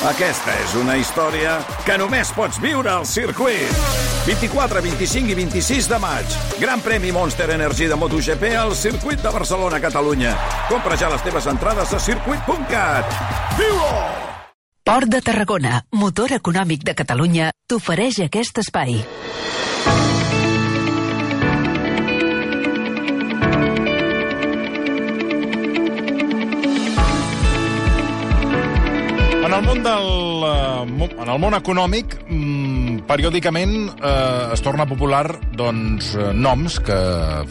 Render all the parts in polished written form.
Aquesta és una història que només pots viure al circuit. 24, 25 i 26 de maig. Gran premi Monster Energy de MotoGP al circuit de Barcelona, Catalunya. Compra ja les teves entrades a circuit.cat. Viu-ho! Port de Tarragona, motor econòmic de Catalunya, t'ofereix aquest espai. En el món econòmic, periòdicament es torna popular noms que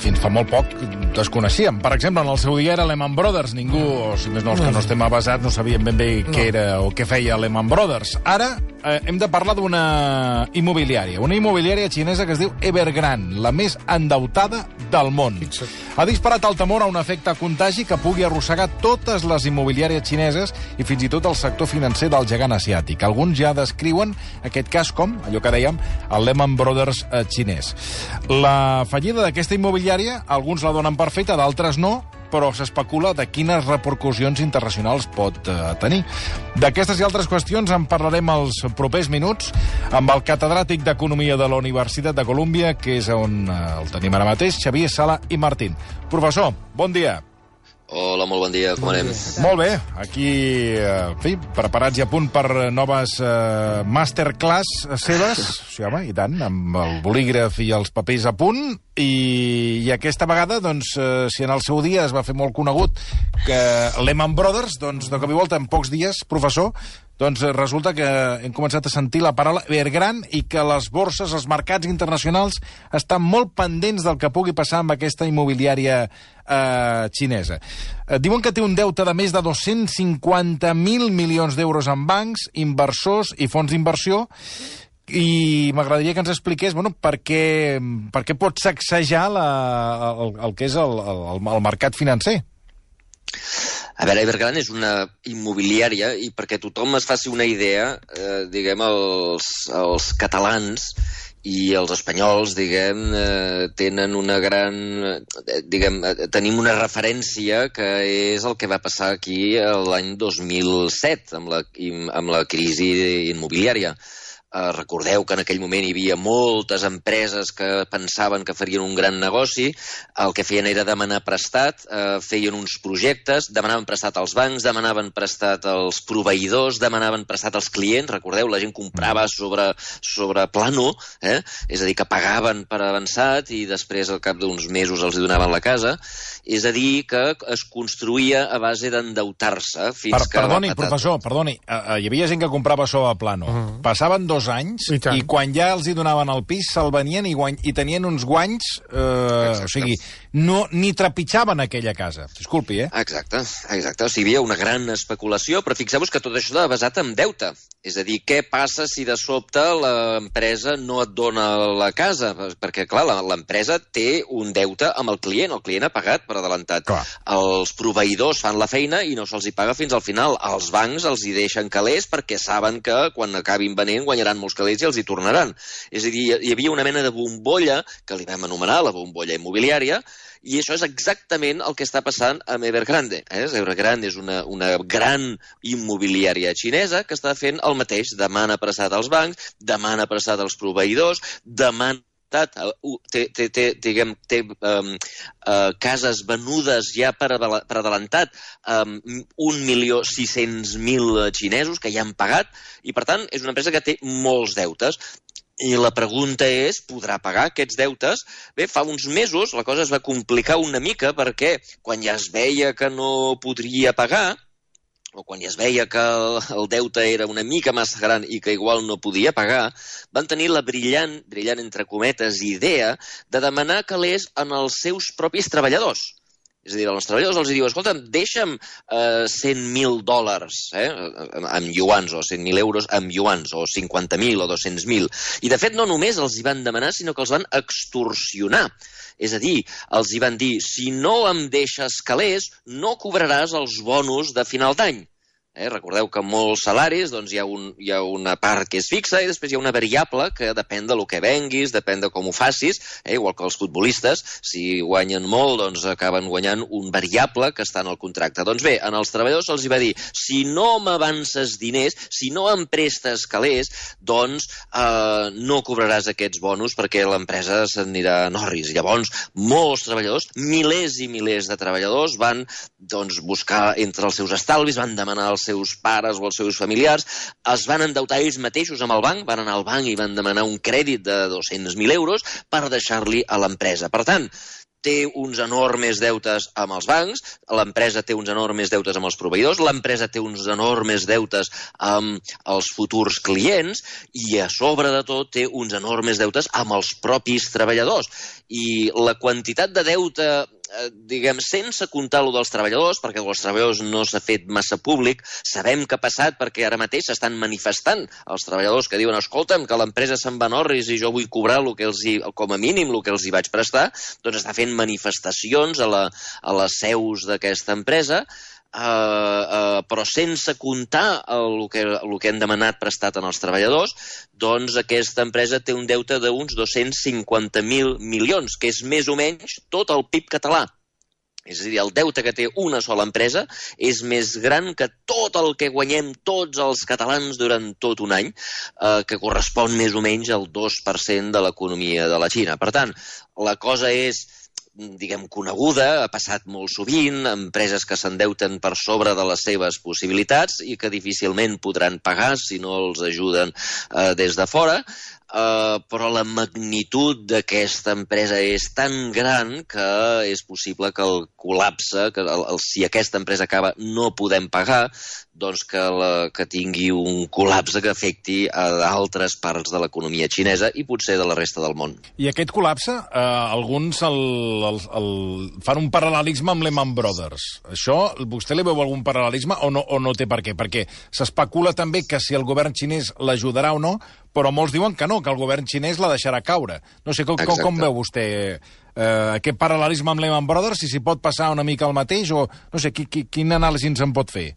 fins fa molt poc desconeixíem. Per exemple, en el seu dia era Lehman Brothers. Ningú, o si més no, els que no estem avasats, no sabíem ben bé què era o què feia Lehman Brothers. Ara hem de parlar d'una immobiliària xinesa que es diu Evergrande, la més endeutada del món. Ha disparat el temor a un efecte contagi que pugui arrossegar totes les immobiliàries xineses i fins i tot el sector financer del gegant asiàtic. Alguns ja descriuen aquest cas com, allò que dèiem, el Lehman Brothers xinès. La fallida d'aquesta immobiliària, alguns la donen per feta, d'altres no, però s'especula de quines repercussions internacionals pot tenir. D'aquestes i altres qüestions en parlarem els propers minuts amb el catedràtic d'Economia de la Universitat de Colúmbia, que és on el tenim ara mateix, Xavier Sala i Martín. Professor, bon dia. Hola, molt bon dia, com anem? Molt bé, aquí, preparats i a punt per noves masterclass seves, sí, home, i tant, amb el bolígraf i els papers a punt, i aquesta vegada, doncs, si en el seu dia es va fer molt conegut que Lehman Brothers, doncs, de cop i volta, en pocs dies, professor, doncs resulta que hem començat a sentir la paraula Evergrande i que les borses, els mercats internacionals estan molt pendents del que pugui passar amb aquesta immobiliària xinesa. Diuen que té un deute de més de 250.000 milions d'euros en bancs, inversors i fons d'inversió, i m'agradaria que ens expliqués per què pot sacsejar el que és el mercat financer. A veure, Evergrande és una immobiliària i perquè tothom es faci una idea, els catalans i els espanyols, tenen una gran... tenim una referència que és el que va passar aquí l'any 2007 amb la crisi immobiliària. Recordeu que en aquell moment hi havia moltes empreses que pensaven que farien un gran negoci, el que feien era demanar prestat, feien uns projectes, demanaven prestat als bancs, demanaven prestat als proveïdors, demanaven prestat als clients, recordeu, la gent comprava sobre plano, és a dir, que pagaven per avançat i després al cap d'uns mesos els donaven la casa, és a dir, que es construïa a base d'endeutar-se fins que... Professor, hi havia gent que comprava sobre plano, passaven 2 anys i quan ja els hi donaven el pis se'l venien i tenien uns guanys, o sigui, ni trepitjaven aquella casa. Disculpi, Exacte. O sigui, hi havia una gran especulació, però fixeu-vos que tot això està basat en deute. És a dir, què passa si de sobte l'empresa no et dona la casa? Perquè, clar, l'empresa té un deute amb el client ha pagat per adelantat. Els proveïdors fan la feina i no se'ls hi paga fins al final. Els bancs els hi deixen calés perquè saben que quan acabin venent guanyaran molts calés i els hi tornaran. És a dir, hi havia una mena de bombolla, que li vam anomenar la bombolla immobiliària, i això és exactament el que està passant amb Evergrande. Evergrande és una gran immobiliària xinesa que està fent el mateix. Demana prestat als bancs, demana prestat als proveïdors, té cases venudes ja per adelantat 1.600.000 xinesos que ja han pagat i, per tant, és una empresa que té molts deutes. I la pregunta és, podrà pagar aquests deutes? Bé, fa uns mesos la cosa es va complicar una mica perquè quan ja es veia que no podria pagar, o quan ja es veia que el deute era una mica massa gran i que igual no podia pagar, van tenir la brillant entre cometes, idea de demanar calés en els seus propis treballadors. És a dir, als treballadors els diu, escolta'm, deixa'm $100.000 amb yuans, o 100.000 euros amb yuans, o 50.000 o 200.000. I, de fet, no només els hi van demanar, sinó que els van extorsionar. És a dir, els hi van dir, si no em deixes calés, no cobraràs els bonus de final d'any. Recordeu que molts salaris hi ha una part que és fixa i després hi ha una variable que depèn del que venguis, depèn de com ho facis, igual que els futbolistes, si guanyen molt, doncs acaben guanyant un variable que està en el contracte. Doncs bé, als treballadors se'ls va dir, si no m'avances diners, si no em prestes calés, doncs no cobraràs aquests bonus perquè l'empresa s'anirà a Norris. Llavors, molts treballadors, milers i milers de treballadors van buscar entre els seus estalvis, van demanar als seus pares o als seus familiars, es van endeutar ells mateixos amb el banc, van anar al banc i van demanar un crèdit de 200.000 euros per deixar-li a l'empresa. Per tant, té uns enormes deutes amb els bancs, l'empresa té uns enormes deutes amb els proveïdors, l'empresa té uns enormes deutes amb els futurs clients i a sobre de tot té uns enormes deutes amb els propis treballadors. I la quantitat de deute, sense comptar lo dels treballadors, perquè dels treballadors no s'ha fet massa públic, sabem què ha passat perquè ara mateix s'estan manifestant els treballadors que diuen, escolta'm, que l'empresa se'n va a Norris i jo vull cobrar com a mínim el que els hi vaig prestar, doncs està fent manifestacions a les seus d'aquesta empresa, però sense comptar el que han demanat prestat en els treballadors, doncs aquesta empresa té un deute d'uns 250.000 milions, que és més o menys tot el PIB català. És a dir, el deute que té una sola empresa és més gran que tot el que guanyem tots els catalans durant tot un any, que correspon més o menys al 2% de l'economia de la Xina. Per tant, la cosa és coneguda, ha passat molt sovint, empreses que s'endeuten per sobre de les seves possibilitats i que difícilment podran pagar si no els ajuden des de fora, però la magnitud d'aquesta empresa és tan gran que és possible que el col·lapse, que si aquesta empresa acaba no podem pagar, doncs que tingui un col·lapse que afecti a d'altres parts de l'economia xinesa i potser de la resta del món. I aquest col·lapse, alguns fan un paral·lelisme amb Lehman Brothers. Això, vostè li veu algun paral·lelisme o no té per què? Perquè s'especula també que si el govern xinès l'ajudarà o no, però molts diuen que no, que el govern xinès la deixarà caure. No sé, com veu vostè aquest paral·lelisme amb Lehman Brothers, si s'hi pot passar una mica el mateix, o no sé, quin anàlisi ens en pot fer?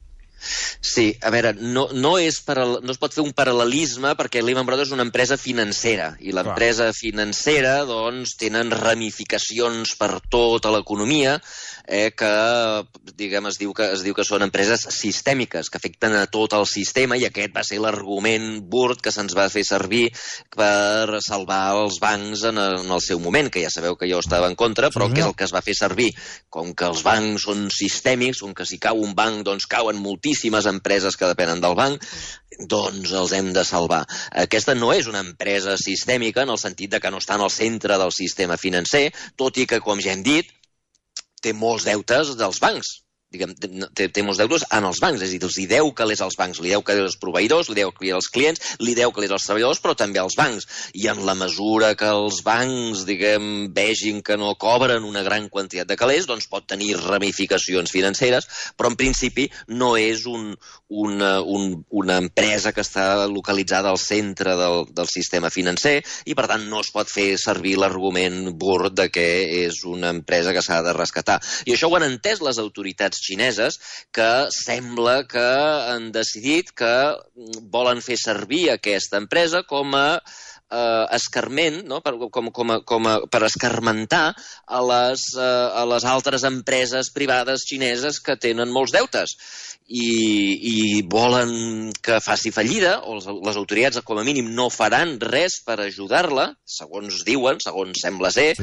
Sí, a veure, no es pot fer un paral·lelisme perquè Lehman Brothers és una empresa financera i l'empresa financera doncs tenen ramificacions per tota l'economia que es diu que són empreses sistèmiques que afecten a tot el sistema i aquest va ser l'argument burd que se'ns va fer servir per salvar els bancs en el seu moment, que ja sabeu que jo estava en contra, però que és el que es va fer servir. Com que els bancs són sistèmics, com que si cau un banc doncs cauen moltíssimes empreses que depenen del banc, doncs els hem de salvar. Aquesta no és una empresa sistèmica en el sentit de que no està en el centre del sistema financer, tot i que, com ja hem dit, té molts deutes dels bancs. Té molts deutes en els bancs, és a dir, els hi deu calés als bancs, li deu calés als proveïdors, li deu calés als clients, li deu calés als treballadors, però també als bancs. I en la mesura que els bancs, vegin que no cobren una gran quantitat de calés, doncs pot tenir ramificacions financeres, però en principi no és una empresa que està localitzada al centre del sistema financer i, per tant, no es pot fer servir l'argument burd de que és una empresa que s'ha de rescatar. I això ho han entès les autoritats xineses, que sembla que han decidit que volen fer servir aquesta empresa com a escarment, no? per escarmentar a les altres empreses privades xineses que tenen molts deutes i volen que faci fallida, o les autoritats com a mínim no faran res per ajudar-la, segons diuen, segons sembla ser,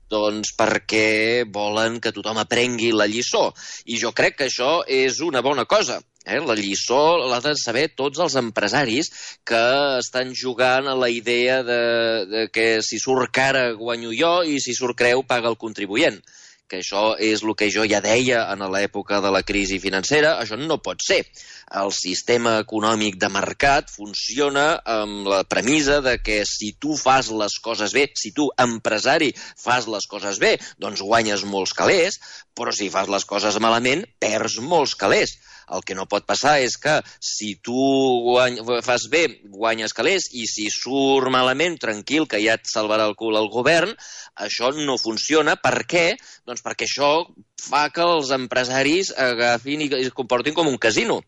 doncs perquè volen que tothom aprengui la lliçó. I jo crec que això és una bona cosa. La lliçó l'ha de saber tots els empresaris que estan jugant a la idea de que si surt cara guanyo jo i si surt creu paga el contribuent. Que això és el que jo ja deia en l'època de la crisi financera, això no pot ser. El sistema econòmic de mercat funciona amb la premissa de que si tu fas les coses bé, si tu, empresari, fas les coses bé, doncs guanyes molts calés, però si fas les coses malament, perds molts calés. El que no pot passar és que si tu fas bé, guanyes calés, i si surt malament, tranquil, que ja et salvarà el cul el govern, això no funciona. Per què? Doncs perquè això fa que els empresaris agafin i es comportin com un casino.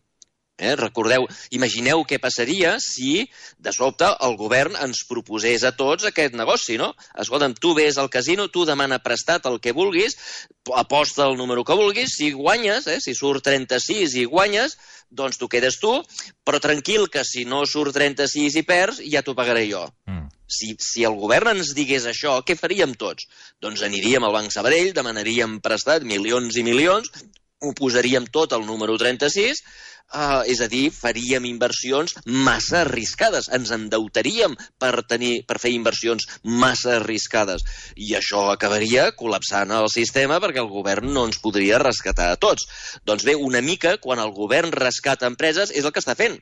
Recordeu, imagineu què passaria si, de sobte, el govern ens proposés a tots aquest negoci, no? Escolta'm, tu vés al casino, tu demana prestat el que vulguis, aposta el número que vulguis, si guanyes, si surt 36 i guanyes, doncs tu quedes tu, però tranquil que si no surt 36 i perds, ja t'ho pagaré jo. Si el govern ens digués això, què faríem tots? Doncs aniríem al Banc Sabadell, demanaríem prestat milions i milions, ho posaríem tot al número 36, és a dir, faríem inversions massa arriscades, ens endeutaríem per fer inversions massa arriscades, i això acabaria col·lapsant el sistema perquè el govern no ens podria rescatar a tots. Doncs bé, una mica, quan el govern rescata empreses, és el que està fent.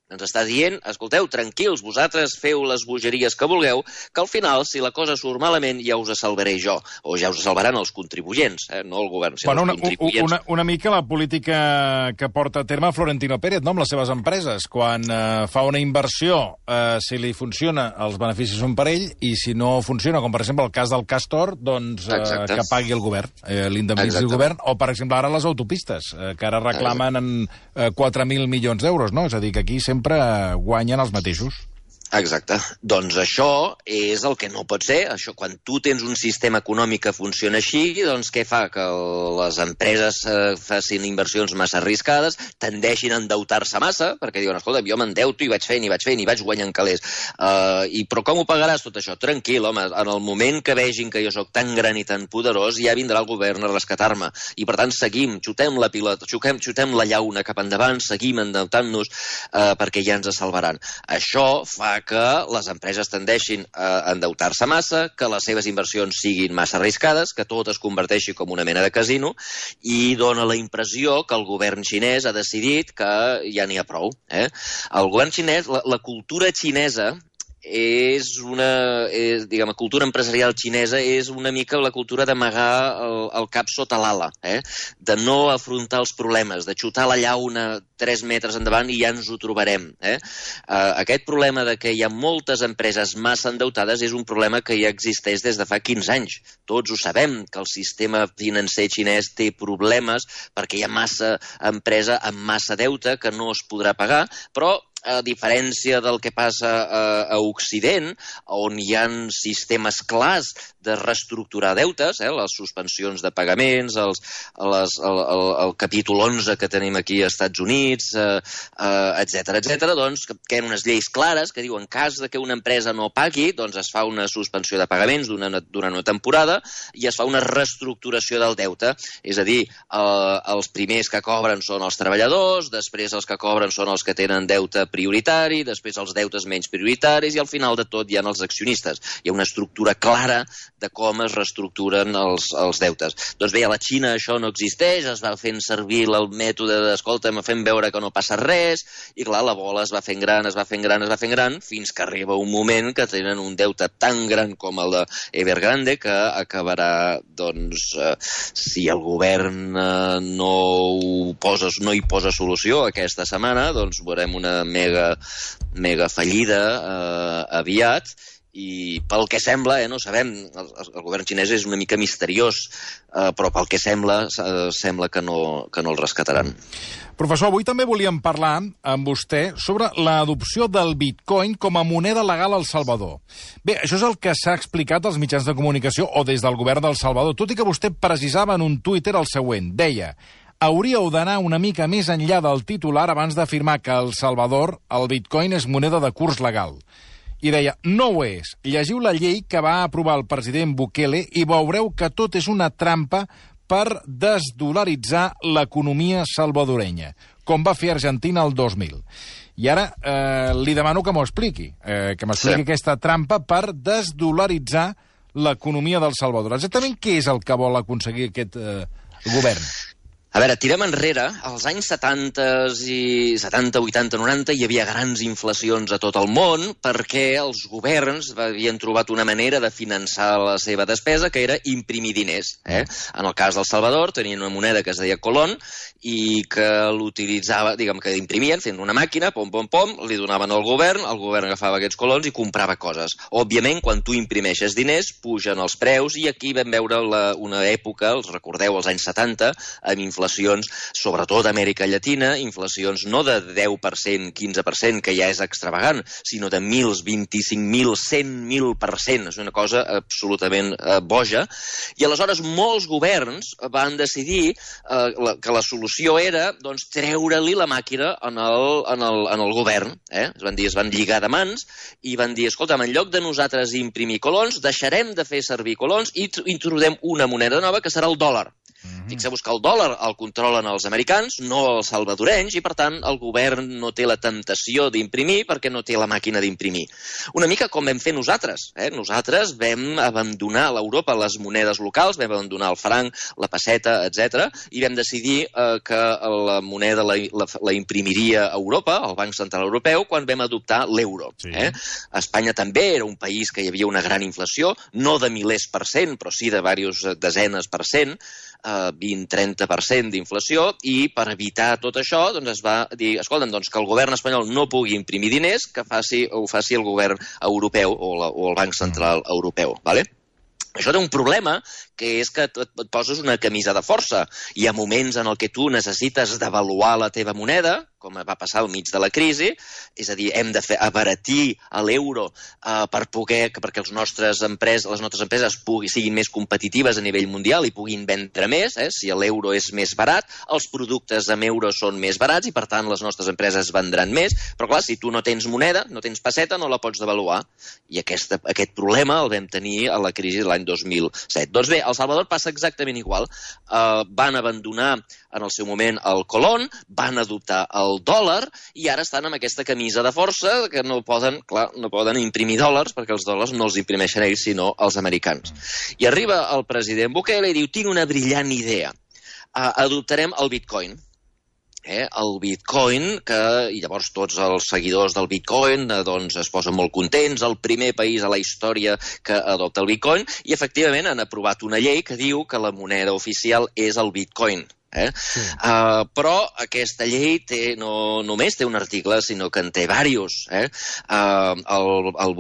Ens està dient, escolteu, tranquils, vosaltres feu les bogeries que vulgueu, que al final, si la cosa surt malament, ja us salvaré jo, o ja us salvaran els contribuents, no el govern, sinó els contribuents. Una mica la política que porta a terme Florentino Pérez, no?, amb les seves empreses. Quan fa una inversió, si li funciona, els beneficis són per ell, i si no funciona, com per exemple el cas del Castor, doncs que pagui el govern, l'indemnitzi el govern, o per exemple ara les autopistes, que ara reclamen en 4.000 milions d'euros, no? És a dir, que aquí sempre guanyen els mateixos. Exacte. Doncs això és el que no pot ser. Això, quan tu tens un sistema econòmic que funciona així, doncs què fa? Que les empreses facin inversions massa arriscades, tendeixin a endeutar-se massa, perquè diuen, escolta, jo m'endeuto i vaig fent, i vaig guanyant calés. Però com ho pagaràs tot això? Tranquil, home, en el moment que vegin que jo sóc tan gran i tan poderós, ja vindrà el govern a rescatar-me. I per tant seguim, xutem la pilota, xutem la llauna cap endavant, seguim endeutant-nos perquè ja ens salvaran. Això fa que les empreses tendeixin a endeutar-se massa, que les seves inversions siguin massa arriscades, que tot es converteixi com una mena de casino, i dona la impressió que el govern xinès ha decidit que ja n'hi ha prou. El govern xinès, la cultura xinesa, la cultura empresarial xinesa és una mica la cultura d'amagar el cap sota l'ala, de no afrontar els problemes, de xutar la llauna 3 metres endavant i ja ens ho trobarem. Aquest problema de que hi ha moltes empreses massa endeutades és un problema que ja existeix des de fa 15 anys. Tots ho sabem, que el sistema financer xinès té problemes perquè hi ha massa empresa amb massa deute que no es podrà pagar, però a diferència del que passa a Occident, on hi ha sistemes clars de reestructurar deutes, les suspensions de pagaments, el capítol 11 que tenim aquí als Estats Units, etc., doncs que hi ha unes lleis clares que diuen en cas que una empresa no pagui, doncs es fa una suspensió de pagaments durant una temporada i es fa una reestructuració del deute. És a dir, els primers que cobren són els treballadors, després els que cobren són els que tenen deute prioritari, després els deutes menys prioritaris i al final de tot hi ha els accionistes. Hi ha una estructura clara de com es reestructuren els deutes. Doncs bé, a la Xina això no existeix, es va fent servir el mètode d'escolta'm, fem veure que no passa res, i clar, la bola es va fent gran, fins que arriba un moment que tenen un deute tan gran com el d'Evergrande que acabarà, doncs, si el govern no hi posa solució aquesta setmana, doncs veurem una mega fallida aviat, i pel que sembla, no sabem, el govern xinès és una mica misteriós, però pel que sembla que no el rescataran. Professor, avui també volíem parlar amb vostè sobre l'adopció del bitcoin com a moneda legal al Salvador. Bé, això és el que s'ha explicat als mitjans de comunicació o des del govern del Salvador, tot i que vostè precisava en un Twitter el següent. Deia: hauríeu d'anar una mica més enllà del titular abans d'afirmar que al Salvador el bitcoin és moneda de curs legal. I deia, no ho és. Llegiu la llei que va aprovar el president Bukele i veureu que tot és una trampa per desdolaritzar l'economia salvadorenya, com va fer Argentina el 2000. I ara li demano que m'ho expliqui, aquesta trampa per desdolaritzar l'economia del Salvador. Exactament què és el que vol aconseguir aquest govern? A veure, tirem enrere, als anys 70, 80, 90 hi havia grans inflacions a tot el món perquè els governs havien trobat una manera de finançar la seva despesa que era imprimir diners. En el cas del Salvador tenien una moneda que es deia Colón i que l'utilitzava, diguem que imprimien fent una màquina, pom, li donaven al govern, el govern agafava aquests colons i comprava coses. Òbviament, quan tu imprimeixes diners, pugen els preus i aquí vam veure una època, els recordeu, als anys 70, amb inflació inflacions, sobretot a Amèrica Llatina, inflacions no de 10%, 15%, que ja és extravagant, sinó de 1.000, 25.000, 100.000%. És una cosa absolutament boja. I aleshores molts governs van decidir que la solució era treure-li la màquina en el govern. Es van lligar de mans i van dir, escolta, en lloc de nosaltres imprimir colons, deixarem de fer servir colons i introduirem una moneda nova que serà el dòlar. Fixeu-vos que el dòlar el controlen els americans, no els salvadorenys, i per tant el govern no té la temptació d'imprimir perquè no té la màquina d'imprimir. Una mica com vam fer nosaltres. Nosaltres vam abandonar a l'Europa les monedes locals, vam abandonar el franc, la pesseta, etc. i vam decidir que la moneda la imprimiria Europa, el Banc Central Europeu, quan vam adoptar l'euro. Sí. Espanya també era un país que hi havia una gran inflació, no de milers per cent, però sí de diverses desenes per cent, 20-30% d'inflació, i per evitar tot això es va dir, escolta'm, que el govern espanyol no pugui imprimir diners, que ho faci el govern europeu o el Banc Central Europeu. ¿Vale? Això té un problema, que és que et poses una camisa de força. Hi ha moments en què tu necessites devaluar la teva moneda, com va passar al mig de la crisi, és a dir, hem de abaratir l'euro perquè les nostres empreses siguin més competitives a nivell mundial i puguin vendre més. Si l'euro és més barat, els productes amb euro són més barats i, per tant, les nostres empreses vendran més. Però, clar, si tu no tens moneda, no tens pesseta, no la pots devaluar. I aquest problema el vam tenir a la crisi de l'any 2007. Doncs bé, a El Salvador passa exactament igual. Van abandonar en el seu moment el colón, van adoptar el dòlar i ara estan amb aquesta camisa de força que no poden imprimir dòlars perquè els dòlars no els imprimeixen ells sinó els americans. I arriba el president Bukele i diu, tinc una brillant idea, adoptarem el bitcoin. El bitcoin, i llavors tots els seguidors del bitcoin es posen molt contents, el primer país a la història que adopta el bitcoin, i efectivament han aprovat una llei que diu que la moneda oficial és el bitcoin. Però aquesta llei no només té un article, sinó que en té diversos. El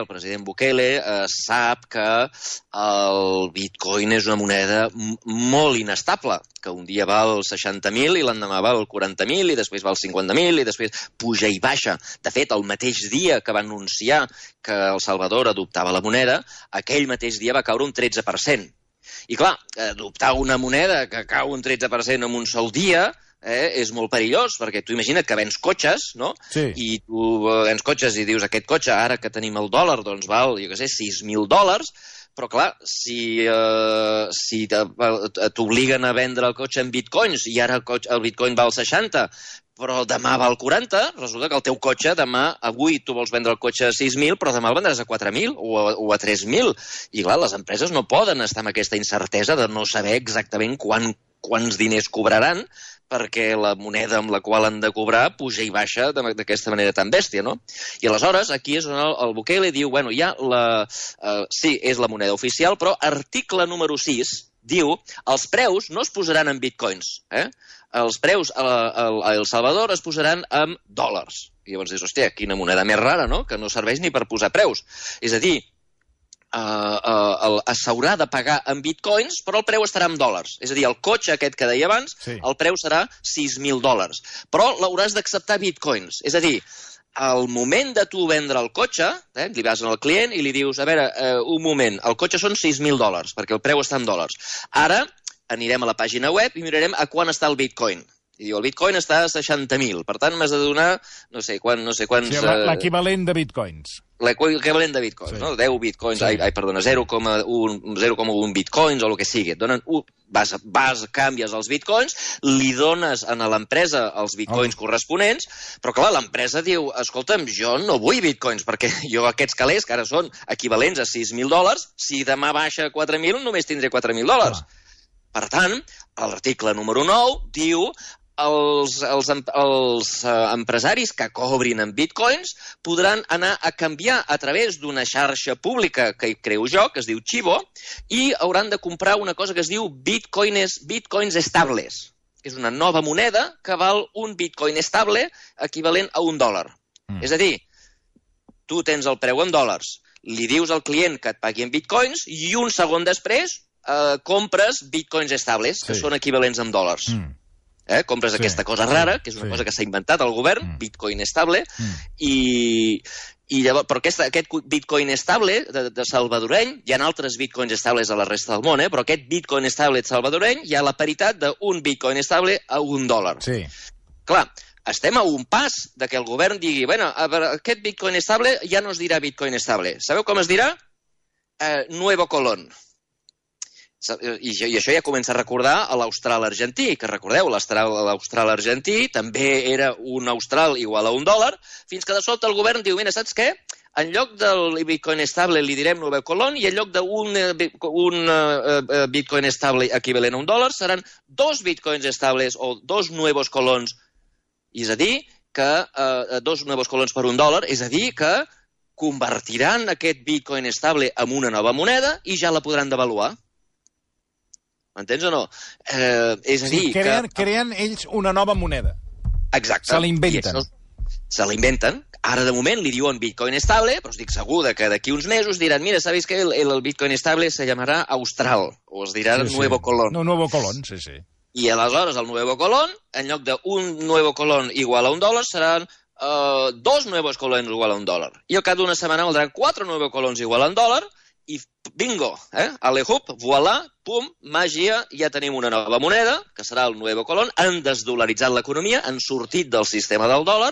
president Bukele, sap que el bitcoin és una moneda molt inestable, que un dia val 60.000 i l'endemà val 40.000 i després val 50.000 i després puja i baixa. De fet, el mateix dia que va anunciar que El Salvador adoptava la moneda, aquell mateix dia va caure un 13%. I clar, adoptar una moneda que cau un 13% en un sol dia és molt perillós, perquè tu imagina't que vens cotxes, no? Sí. I tu vens cotxes i dius, aquest cotxe, ara que tenim el dòlar, doncs val, jo què sé, $6.000, però clar, si t'obliguen a vendre el cotxe en bitcoins i ara el bitcoin val 60, però demà val 40, resulta que el teu cotxe avui tu vols vendre el cotxe a 6.000, però demà el vendràs a 4.000 o a 3.000. I clar, les empreses no poden estar amb aquesta incertesa de no saber exactament quants diners cobraran, perquè la moneda amb la qual han de cobrar puja i baixa d'aquesta manera tan bèstia, no? I aleshores, aquí és on el Bukele diu, bueno, sí, és la moneda oficial, però article número 6 diu, els preus no es posaran en bitcoins, els preus a El Salvador es posaran en dòlars. I llavors dius, hòstia, quina moneda més rara, no?, que no serveix ni per posar preus. És a dir, s'haurà de pagar en bitcoins, però el preu estarà en dòlars. És a dir, el cotxe aquest que deia abans, sí, el preu serà $6.000, però l'hauràs d'acceptar bitcoins. És a dir, al moment de tu vendre el cotxe, li vas al client i li dius, a veure, un moment, el cotxe són $6.000, perquè el preu està en dòlars. Ara anirem a la pàgina web i mirarem a quant està el bitcoin. I diu, el bitcoin està a 60.000, per tant m'has de donar no sé quants... Sí, l'equivalent de bitcoins. L'equivalent de bitcoins, sí, no? 10 bitcoins, sí. Perdona, 0,1 bitcoins o el que sigui. Et donen canvies els bitcoins, li dones a l'empresa els bitcoins corresponents, però clar, l'empresa diu, escolta'm, jo no vull bitcoins, perquè jo aquests calés, que ara són equivalents a $6.000, si demà baixa a 4.000, només tindré $4.000. Per tant, l'article número 9 diu els empresaris que cobrin en bitcoins podran anar a canviar a través d'una xarxa pública que hi creo jo, que es diu Chivo, i hauran de comprar una cosa que es diu bitcoins estables. És una nova moneda que val un bitcoin estable equivalent a $1. És a dir, tu tens el preu en dòlars, li dius al client que et pagui en bitcoins i un segon després compres bitcoins estables, que són equivalents en dòlars. Compres aquesta cosa rara, que és una cosa que s'ha inventat el govern, bitcoin estable, i llavors, però aquest bitcoin estable de salvadoreny, hi ha altres bitcoins estables a la resta del món, però aquest bitcoin estable salvadoreny hi ha la paritat d'un bitcoin estable a $1. Sí. Clar, estem a un pas de que el govern digui, bueno, aquest bitcoin estable ja no es dirà bitcoin estable. Sabeu com es dirà? Nuevo Colón. I això ja comença a recordar a l'Austral argentí, que recordeu, l'Austral argentí també era un austral igual a $1, fins que de sobte el govern diu, mira, saps què? En lloc del bitcoin estable li direm Nuevo Colón i en lloc d'un bitcoin estable equivalent a $1 seran 2 bitcoins estables o 2 nuevos colons. És a dir, que 2 nuevos colons per $1, és a dir, que convertiran aquest bitcoin estable en una nova moneda i ja la podran devaluar. M'entens o no? És a dir, creen ells una nova moneda. Exacte. Se l'inventen. Se l'inventen. Ara, de moment, li diuen bitcoin estable, però estic segur que d'aquí uns mesos diran, mira, ¿sabéis que el bitcoin estable se llamará Austral? O es dirà Nuevo Colón. No, Nuevo Colón, sí. I aleshores el Nuevo Colón, en lloc d'un Nuevo Colón igual a $1, seran 2 Nuevos Colons igual a $1. I al cap d'una setmana valdran 4 Nuevo Colons igual a $1, i bingo, alejup, voilà, pum, màgia, ja tenim una nova moneda, que serà el Nuevo Colón, han desdolaritzat l'economia, han sortit del sistema del dòlar,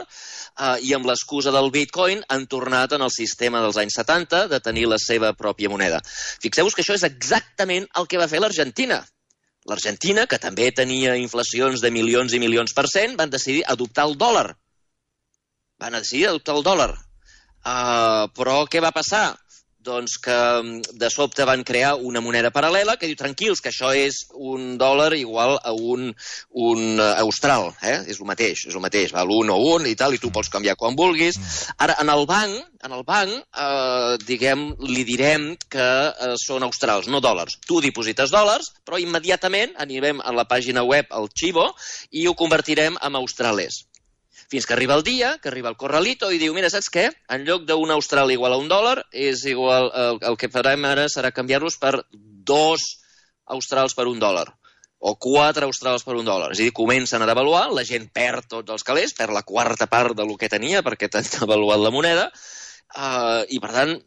i amb l'excusa del bitcoin han tornat en el sistema dels anys 70 de tenir la seva pròpia moneda. Fixeu-vos que això és exactament el que va fer l'Argentina. L'Argentina, que també tenia inflacions de milions i milions %, van decidir adoptar el dòlar. Però què va passar? Doncs que de sobte van crear una moneda paral·lela que diu, tranquils, que això és $1 igual a un austral, és el mateix, val 1 o 1 i tal, i tu pots canviar quan vulguis. Ara, en el banc, li direm que són australs, no dòlars. Tu diposites dòlars, però immediatament anirem a la pàgina web, al Chivo, i ho convertirem en australes. Fins que arriba el dia, que arriba el corralito i diu, mira, saps què? En lloc d'un austral igual a $1, és igual, el que farem ara serà canviar-los per 2 australs per $1, o 4 australs per $1. És a dir, comencen a devaluar, la gent perd tots els calés, perd la quarta part del que tenia perquè t'han devaluat la moneda, i per tant,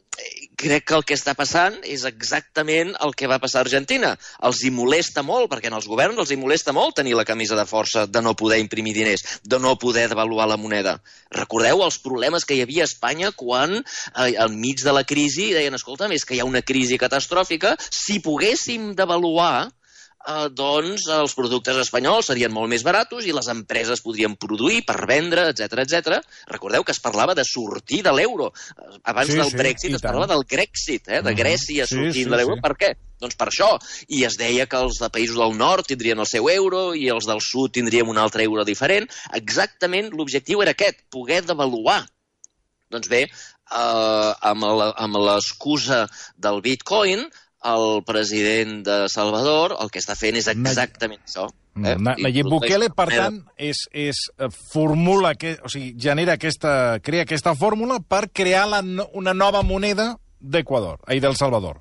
crec que el que està passant és exactament el que va passar a Argentina. Els hi molesta molt, perquè en els governs els hi molesta molt tenir la camisa de força de no poder imprimir diners, de no poder devaluar la moneda. Recordeu els problemes que hi havia a Espanya quan, enmig de la crisi, deien, escolta, és que hi ha una crisi catastròfica, si poguéssim devaluar, doncs els productes espanyols serien molt més baratos i les empreses podrien produir per vendre, etc. Recordeu que es parlava de sortir de l'euro. Abans del Brexit es parlava del Grexit, de Grècia sortint de l'euro. Per què? Doncs per això. I es deia que els de països del nord tindrien el seu euro i els del sud tindríem un altre euro diferent. Exactament l'objectiu era aquest, poder devaluar. Doncs bé, amb l'excusa del bitcoin, el president de Salvador el que està fent és exactament això. Nayib Bukele, per tant, genera aquesta fórmula per crear una nova moneda del Salvador.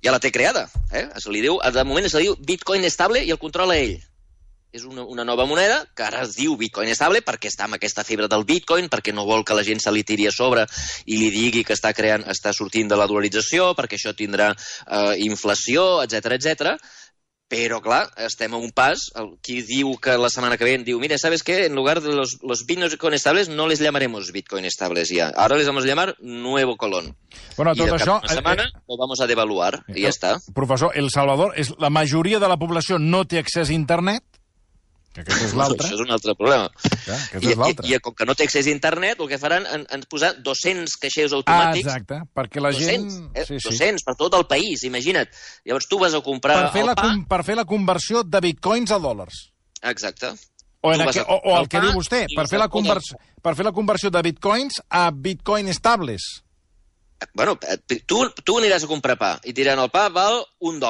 Ja la té creada. De moment se li diu bitcoin estable i el controla ell. És una nova moneda que ara es diu bitcoin estable perquè està amb aquesta fibra del bitcoin, perquè no vol que la gent se li tiri a sobre i li digui que està sortint de la dolarització, perquè això tindrà inflació, etc. Però, clar, estem a un pas. Qui diu que la setmana que ve diu, mira, ¿sabes qué? En lugar de los bitcoin estables no les llamaremos bitcoin estables ya. Ahora les vamos a llamar Nuevo Colón. Bueno, tot això... Una setmana lo vamos a devaluar i ja està. Professor, El Salvador, la majoria de la població no té accés a internet, que aquest és l'altre. Això és un altre problema. I com que no té accés a internet, el que faran és posar 200 caixers automàtics. Exacte, perquè la gent... 200 per tot el país, imagina't. Llavors tu vas a comprar per fer la conversió de bitcoins a dòlars. Exacte. O el que diu vostè, per fer la conversió de bitcoins a bitcoin estables. Bueno, tu aniràs a comprar pa i et diran el pa val $1,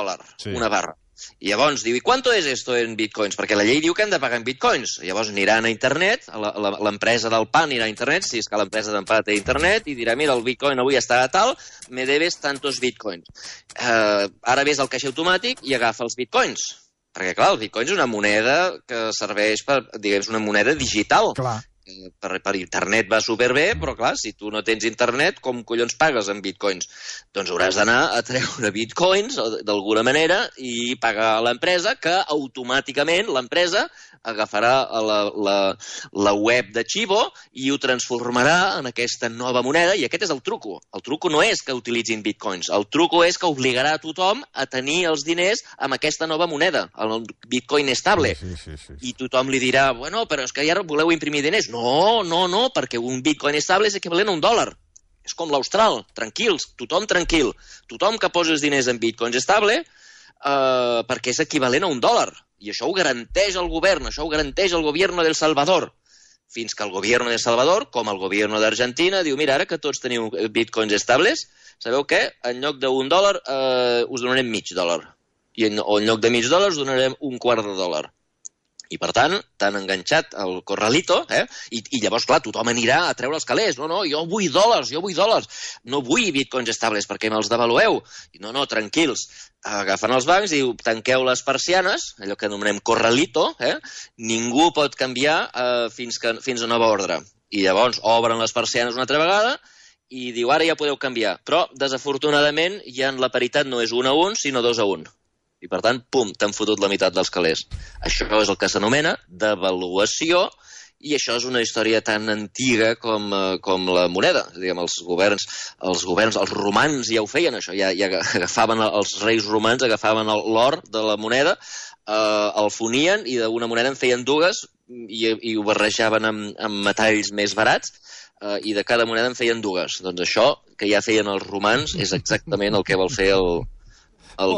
una barra. I llavors diu, i quanto es esto en bitcoins? Perquè la llei diu que hem de pagar en bitcoins. Llavors aniran a internet, l'empresa del pa anirà a internet, si és que l'empresa del pa té internet, i dirà, mira, el bitcoin avui està a tal, me debes tantos bitcoins. Ara ves el caixer automàtic i agafa els bitcoins. Perquè, clar, el bitcoin és una moneda que serveix per, diguem, una moneda digital. Clar. Per internet va superbé, però clar, si tu no tens internet, com collons pagues en bitcoins? Doncs hauràs d'anar a treure bitcoins d'alguna manera i pagar a l'empresa, que automàticament l'empresa agafarà la web de Chivo i ho transformarà en aquesta nova moneda, i aquest és el truco. El truco no és que utilitzin bitcoins, el truco és que obligarà a tothom a tenir els diners amb aquesta nova moneda, el bitcoin estable. Sí. I tothom li dirà, bueno, però és que ja voleu imprimir diners. No, perquè un bitcoin estable és equivalent a $1. És com l'austral, tranquils, tothom tranquil. Tothom que posi els diners en bitcoins estable perquè és equivalent a $1. I això ho garanteix el govern, això ho garanteix el govern del Salvador. Fins que el govern del Salvador, com el govern d'Argentina, diu, mira, ara que tots teniu bitcoins estables, sabeu què? En lloc d'$1 us donarem $0,5. O en lloc de $0,5 us donarem $0,25. I, per tant, t'han enganxat el corralito, i llavors, clar, tothom anirà a treure els calés. No, jo vull dòlars. No vull bitcoins estables perquè me'ls devalueu. No, tranquils. Agafen els bancs i diu, tanqueu les persianes, allò que anomenem corralito, ningú pot canviar fins a nova ordre. I llavors obren les persianes una altra vegada i diu, ara ja podeu canviar. Però, desafortunadament, ja la paritat no és 1-1, sinó 2-1. I, per tant, pum, t'han fotut la meitat dels calés. Això és el que s'anomena devaluació, i això és una història tan antiga com la moneda. Diguem, els romans ja ho feien, això. Ja agafaven, els reis romans agafaven l'or de la moneda, el fonien i d'una moneda en feien dues i ho barrejaven amb metalls més barats, i de cada moneda en feien dues. Doncs això que ja feien els romans és exactament el que vol fer el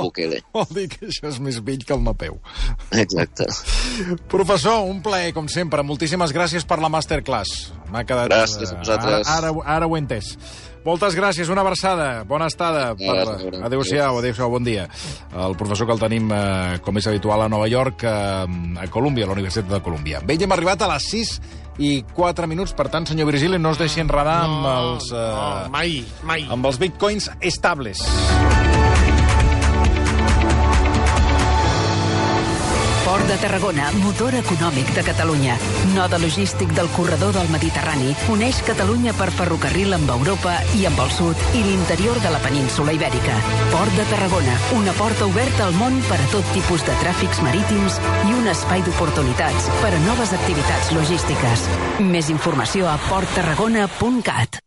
Bukele. Vol dir que això és més vell que el Napeu. Exacte. Professor, un plaer, com sempre. Moltíssimes gràcies per la masterclass. M'ha quedat... Gràcies a vosaltres. Ara ho he entès. Moltes gràcies, una abraçada. Bona estada. Adéu-siau, bon dia. El professor que el tenim, com és habitual, a Nova York, a Colúmbia, a la Universitat de Colúmbia. Bé, hem arribat a les 6:04, per tant, senyor Virgili, no es deixi enredar amb els... mai. Amb els bitcoins estables. Port de Tarragona, motor econòmic de Catalunya. Node logístic del corredor del Mediterrani, uneix Catalunya per ferrocarril amb Europa i amb el sud i l'interior de la península Ibèrica. Port de Tarragona, una porta oberta al món per a tot tipus de tràfics marítims i un espai d'oportunitats per a noves activitats logístiques. Més informació a porttarragona.cat.